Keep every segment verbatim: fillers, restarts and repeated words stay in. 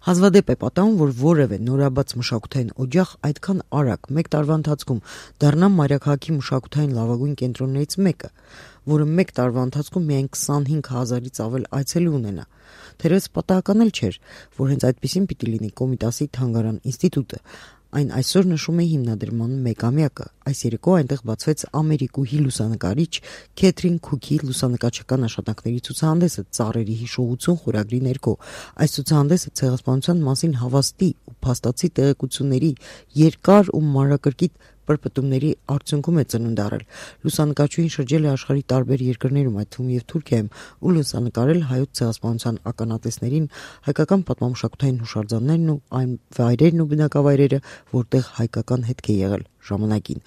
Հազվադեպ է պատահում, որ որևէ նորաբաց մշակութային օջախ այդքան արագ մեկ տարվա ընթացքում դառնա մայրաքաղաքի մշակութային լավագույն կենտրոններից մեկը, որը մեկ տարվա ընթացքում միայն քսանհինգ հազարից ավել այցելի ունենա։ Թերևս պատահական էլ չէր, որ հենց այդպիսին պիտի լինի Կոմիտասի թանգարան ինստիտուտը։ Այն այսօր նշում է հիմնադրման մեկամյակը։ Այս երեկո այնտեղ բացվեց ամերիկուհի լուսանկարիչ Քեթրին Քուքի լուսանկարչական աշխատանքների ցուցահանդեսը «Ծառերի հիշողություն» խորագրի ներքո։ Այս ցուցահանդեսը ցեղասպանության մասին հավաստի ու փաստացի տեղեկությունների երկար ու մանրակրկիտ պրպտումների արդյունքում է ծնունդ առել։ Լուսանկարչուհին շրջել է աշխարհի տարբեր երկրներում, այդ թվում և Թուրքիայում, ու լուսանկարել հայոց ցեղասպանության ականատեսներին, հայկական պատմամշակութային հուշարձաններն ու այն վայրերն ու բնակավայրերը, որտեղ հայկական հետք է եղել ժամանակին։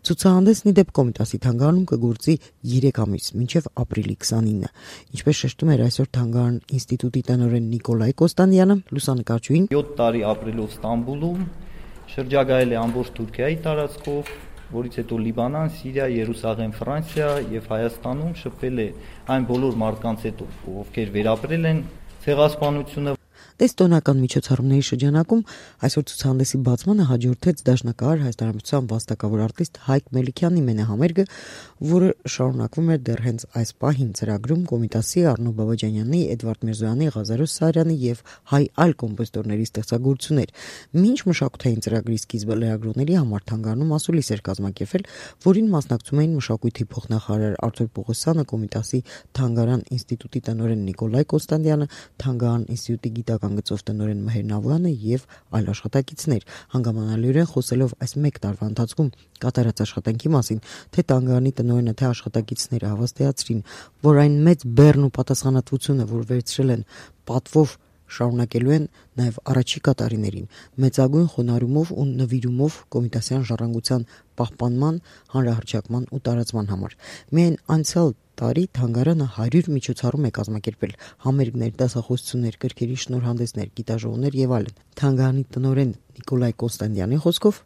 Ցուցահանդեսն ի դեպ Կոմիտասի թանգարանում կգործի երեք ամիս, մինչև ապրիլի քսանինը։ Ինչպես շեշտում էր այսօր թանգարան ինստիտուտի տնօրեն Նիկոլայ Կոստանդյանը, լուսանկարչուհին յոթ տարի ապրելով Ստամբուլում, շրջագայել է ամբողջ Թուրքիայի տարածքով, որից հետո Լիբանան, Սիրիա, Երուսաղեմ, Ֆրանսիա եւ Հայաստանում շփվել է այն բոլոր մարդկանց հետ, ովքեր վերապրել են ցեղասպանությունը։ Տեստոնական միջոցառումների շրջանակում այսօր ցուցահանդեսի բացմանը հաջորդեց դաշնակահար հայաստանամիջոցյան վաստակավոր արտիստ Հայկ Մելիքյանի մենահամերգը, որը շարունակվում էր դեռ հենց այս պահին ծրագրում Կոմիտասի Առնո Բաբաջանյանի, Էդվարդ Միրզոյանի, Ղազարոս Սարյանի եւ հայ այլ կոմպոզիտորների ստեղծագործություններ։ Մինչ մշակութային ծրագրի սկիզբը լրագրողների համար թանգարանում ասուլիս էր կազմակերպվել, որին մասնակցում էին մշակույթի փոխնախարար Արթուր Պողոսյանը, Կոմիտասի թանգարան ինստիտուտի տնօրեն Նիկոլայ Կոստանդյանը, թանգարան ինստիտուտի գիտական գծով տնօրեն Մհեր Նավլյանը եւ այլ աշխատակիցներ, հանգամանալիորեն խոսելով այս մեկ տարվա ընթացքում կատարած աշխատանքի մասին, թե թանգարանի տնօրենը, թե աշխատակիցները հավաստիացրին, որ այն մեծ բեռն ու պատասխանատվությունը, որ վերցրել են պատվով, շարունակելու են նաև առաջիկա տարիներին մեծագույն խոնարհումով ու նվիրումով կոմիտասյան ժառանգության պահպանման, հանրահռչակման ու տարածման համար։ Միայն անցյալ տարի թանգարանը հարյուր միջոցառում է կազմակերպել՝ համերգներ, դասախոսություններ, գրքերի շնորհանդեսներ, գիտաժողովներ եւ այլն։ Թանգարանի տնօրեն Նիկոլայ Կոստանդյանի խոսքով,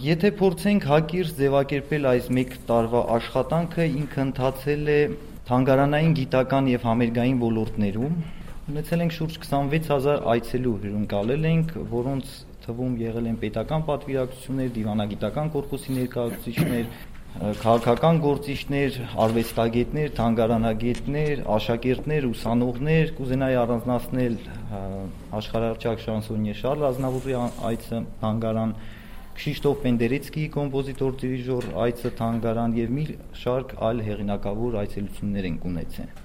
եթե փորձենք հակիրճ ձևակերպել այս մեկ տարվա աշխատանքը, ինքը ընթացել է թանգարանային, գիտական եւ համերգային ոլորտներում։ Ունեցել ենք շուրջ քսանվեց հազար այցելու հյուրընկալել ենք, որոնց թվում եղել են պետական պատվիրակություններ, դիվանագիտական կորպուսի ներկայացուցիչներ, քաղաքական գործիչներ, արվեստագետներ, թանգարանագետներ, աշակերտներ, ուսանողներ։ Կուզենայի առանձնացնել աշխարհահռչակ շանսոնիե Շարլ Ազնավուրի այցը թանգարան, Քշիշտոֆ Պենդերեցկիի կոմպոզիտոր դիրիժոր այցը թանգարան եւ մի շարք այլ հեղինակավոր այցելություններ են ունեցել։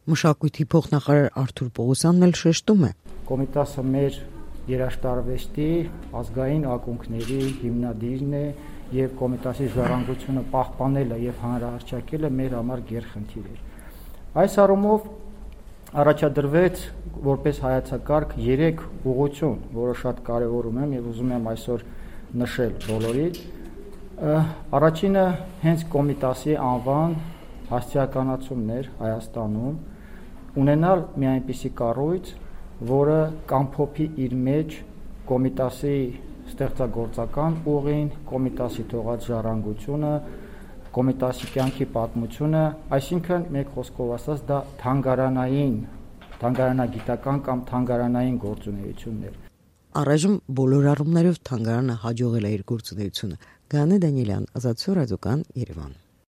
Մշակույթի փոխնախարար Արթուր Պողոսյանն էլ շեշտում է. Կոմիտասը մեր երաժշտարվեստի ազգային ակունքների հիմնադիրն է եւ Կոմիտասի ժառանգությունը պահպանելը եւ հանրահռչակելը մեր համար գերխնդիր է։ Այս առումով առաջադրվեց որպես հայեցակարգ երեք ուղղություն, որը շատ կարեւորում եմ եւ ուզում եմ այսօր նշել բոլորիդ։ Առաջինը հենց Կոմիտասի անվան հասցեականացումն էր Հայաստանում, ունենալ մի այնպիսի կառույց, որը կամփոփի իր մեջ Կոմիտասի ստեղծագործական ուղին, Կոմիտասի թողած ժառանգությունը, Կոմիտասի կյանքի պատմությունը, այսինքն մեկ խոսքով ասած դա թանգարանային, թանգարանագիտական կամ թանգարանային գործունեություններ։ Առայժմ բոլոր առումներով թանգարանը հաջողել է իր գործունեությունը։ Գաներ Դանիելյան, Ազատություն ռադիոկան, Երևան։